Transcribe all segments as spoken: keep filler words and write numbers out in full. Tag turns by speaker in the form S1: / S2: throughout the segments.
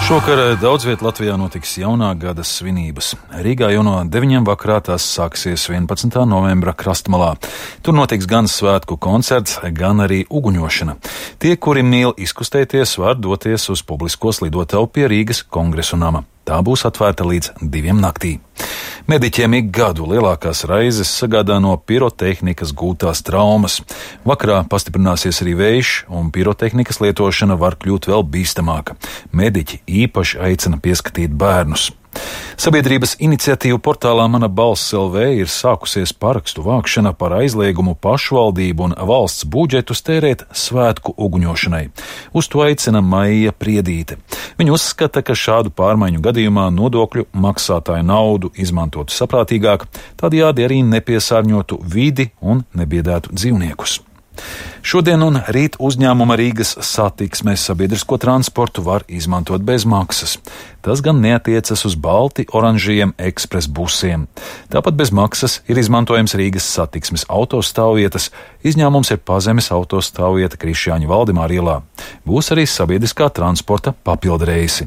S1: Šovakar daudz viet Latvijā notiks jaunā gada svinības. Rīgā jau no deviņiem vakarā tās sāksies vienpadsmitā novembra Krastmalā. Tur notiks gan svētku koncerts, gan arī uguņošana. Tie, kuri mīl izkustēties, var doties uz publisko slidotavu pie Rīgas Kongresu nama. Tā būs atvērta līdz diviem naktī. Mediķiem ik gadu lielākās raizes sagādā no pirotehnikas gūtās traumas. Vakarā pastiprināsies arī vējš, un pirotehnikas lietošana var kļūt vēl bīstamāka. Mediķi īpaši aicina pieskatīt bērnus. Sabiedrības iniciatīvu portālā Mana balss L V ir sākusies parakstu vākšana par aizliegumu pašvaldību un valsts budžetus tērēt svētku uguņošanai. Uz to aicina Maija Priedīte. Viņa uzskata, ka šādu pārmaiņu gadījumā nodokļu maksātāju naudu izmantotu saprātīgāk, tādējādi arī nepiesārņotu vidi un nebiedētu dzīvniekus. Šodien un rīt uzņēmuma Rīgas satiksmes sabiedrisko transportu var izmantot bez maksas. Tas gan neatiecas uz balti oranžajiem ekspres busiem. Tāpat bez maksas ir izmantojams Rīgas satiksmes autostāvvietas, izņēmums ir pazemes autostāvvieta Krišjāņa Valdemāra ielā. Būs arī sabiedriskā transporta papildreisi.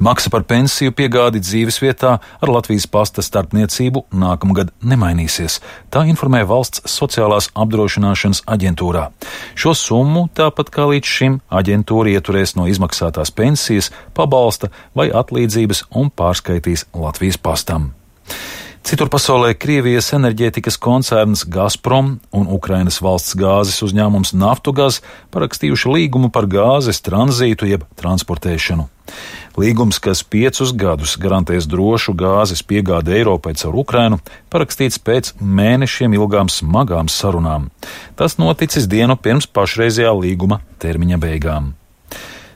S1: Maksa par pensiju piegādi dzīvesvietā ar Latvijas pasta starpniecību nākamgad nemainīsies. Tā informē Valsts sociālās apdrošināšanas aģentūrā. Šo summu, tāpat kā līdz šim, aģentūra ieturēs no izmaksātās pensijas, pabalsta vai atlīdzības un pārskaitīs Latvijas pastam. Citur pasaulē Krievijas enerģētikas koncerns Gazprom un Ukrainas valsts gāzes uzņēmums Naftogaz parakstījuši līgumu par gāzes tranzītu jeb transportēšanu. Līgums, kas piecus gadus garantēs drošu gāzes piegādi Eiropai caur Ukrainu, parakstīts pēc mēnešiem ilgām smagām sarunām. Tas noticis dienu pirms pašreizējā līguma termiņa beigām.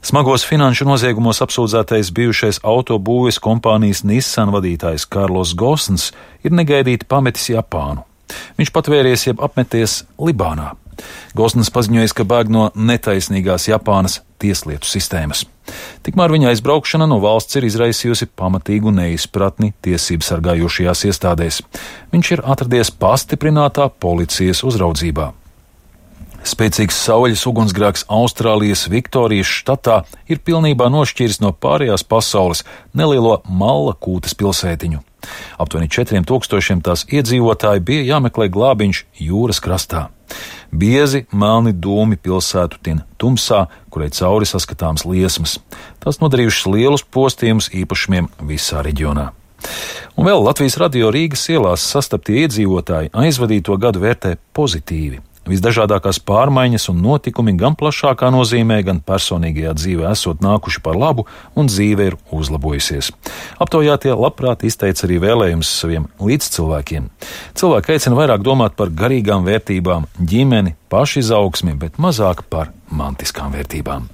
S1: Smagos finanšu noziegumos apsūdzētais bijušais autobūves kompānijas Nissan vadītājs Karlos Gosns ir negaidīti pametis Japānu. Viņš patvēries jeb apmeties Libānā. Gosns paziņojis, ka bēg no netaisnīgās Japānas tieslietu sistēmas. Tikmēr viņa aizbraukšana no valsts ir izraisījusi pamatīgu neizpratni tiesību sargājošajās iestādēs. Viņš ir atradies pastiprinātā policijas uzraudzībā. Spēcīgs saules ugunsgrēks Austrālijas Viktorijas štatā ir pilnībā nošķīris no pārējās pasaules nelielo Mallakūtas pilsētiņu. Aptuveni četriem tūkstošiem tās iedzīvotāji bija jāmeklē glābiņš jūras krastā. Biezi melni dūmi pilsētu tin tumsā, kurai cauri saskatāms liesmas. Tās nodarījušas lielus postījumus īpašumiem visā reģionā. Un vēl Latvijas radio Rīgas ielās sastaptie iedzīvotāji aizvadīto gadu vērtē pozitīvi. Visdažādākās pārmaiņas un notikumi gan plašākā nozīmē, gan personīgajā dzīvē esot nākuši par labu un dzīve ir uzlabojusies. Aptaujātie labprāt izteica arī vēlējumus saviem līdzcilvēkiem. Cilvēki aicina vairāk domāt par garīgām vērtībām, ģimeni, pašizaugsmi, bet mazāk par mantiskām vērtībām.